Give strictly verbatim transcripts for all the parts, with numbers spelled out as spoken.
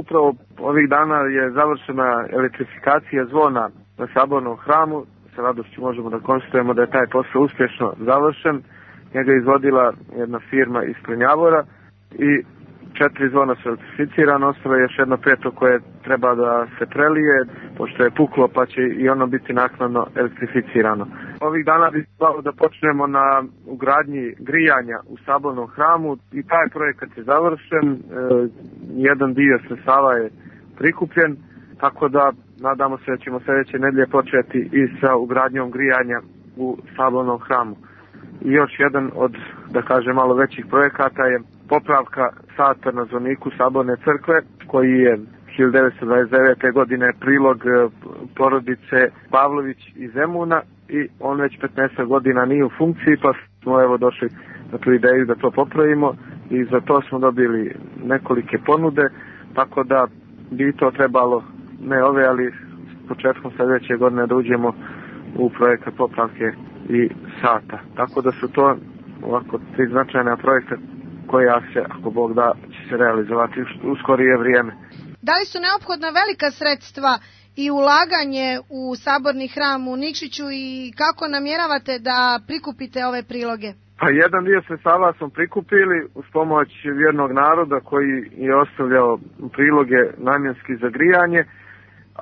upravo ovih dana je završena elektrifikacija zvona na Sabornom hramu. Sa radošću možemo da konstatujemo da je taj posao uspješno završen. Njega je izvodila jedna firma iz Klinjavora i četiri zvona su elektrificirane, ostalo je još jedno peto koje treba da se prelije, pošto je puklo pa će i ono biti naknadno elektrificirano. Ovih dana bi trebalo da počnemo na ugradnji grijanja u Sabornom hramu i taj projekat je završen, e, jedan dio sredstava je prikupljen, tako da nadamo se da ćemo sljedeće nedelje početi i sa ugradnjom grijanja u Sabornom hramu. I još jedan od, da kažem, malo većih projekata je popravka sata na zvoniku Saborne crkve, koji je hiljadu devetsto dvadeset devete. godine prilog porodice Pavlović iz Zemuna i on već petnaest godina nije u funkciji, pa smo evo došli na tu ideju da to popravimo i za to smo dobili nekolike ponude, tako da bi to trebalo, ne ove, ali s početkom sljedeće godine da uđemo u projekat popravke i sata. Tako da su to ovako tri značajna projekta koja se, ako Bog da, će se realizovati u skorije vrijeme. Da li su neophodna velika sredstva i ulaganje u Saborni hram u Nikšiću i kako namjeravate da prikupite ove priloge? Pa jedan dio sredstava smo prikupili uz pomoć vjernog naroda koji je ostavljao priloge namjenski za grijanje,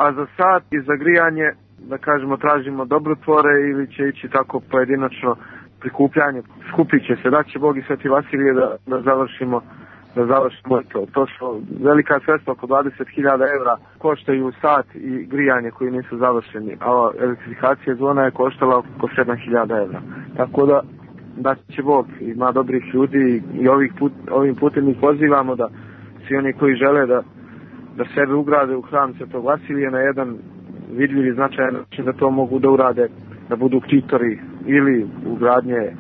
a za sat i za grijanje, da kažemo, tražimo dobrotvore ili će ići tako pojedinačno prikupljanje. Skupit će se, da će Bog i Sveti Vasilije da, da završimo da završimo to. To su velika sredstva, oko dvadeset hiljada evra koštaju sat i grijanje koji nisu završeni, a elektrifikacija zvona je koštala oko sedam hiljada evra. Tako da, da će Bog, ima dobrih ljudi i ovih put, ovim putem ih pozivamo da svi oni koji žele da, da sebe ugrade u hram Svetog Vasilija na jedan vidljiv i značajan način, da to mogu da urade, da budu ktitori ili ugradnje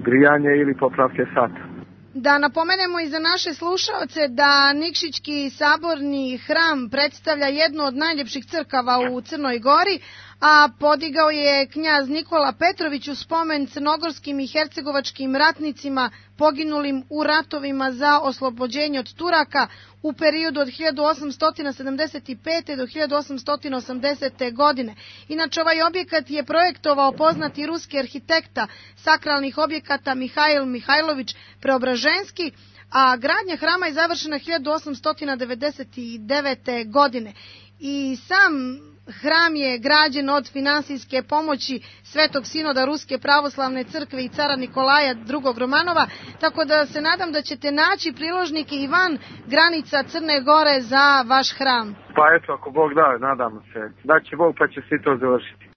grijanje ili popravke sata. Da napomenemo i za naše slušaoce da Nikšićki saborni hram predstavlja jednu od najljepših crkava u Crnoj Gori, a podigao je knjaz Nikola Petrović u spomen crnogorskim i hercegovačkim ratnicima poginulim u ratovima za oslobođenje od Turaka u periodu od hiljadu osamsto sedamdeset pete. do hiljadu osamsto osamdesete. godine. Inače, ovaj objekat je projektovao poznati ruski arhitekta sakralnih objekata Mihail Mihajlović Preobraženski, a gradnja hrama je završena hiljadu osamsto devedeset devete. godine. I sam hram je građen od finansijske pomoći Svetog sinoda Ruske pravoslavne crkve i cara Nikolaja drugog. Romanova, tako da se nadam da ćete naći priložnike i van granica Crne Gore za vaš hram. Pa eto, ako Bog da, nadamo se. Da će Bog pa će svi to završiti.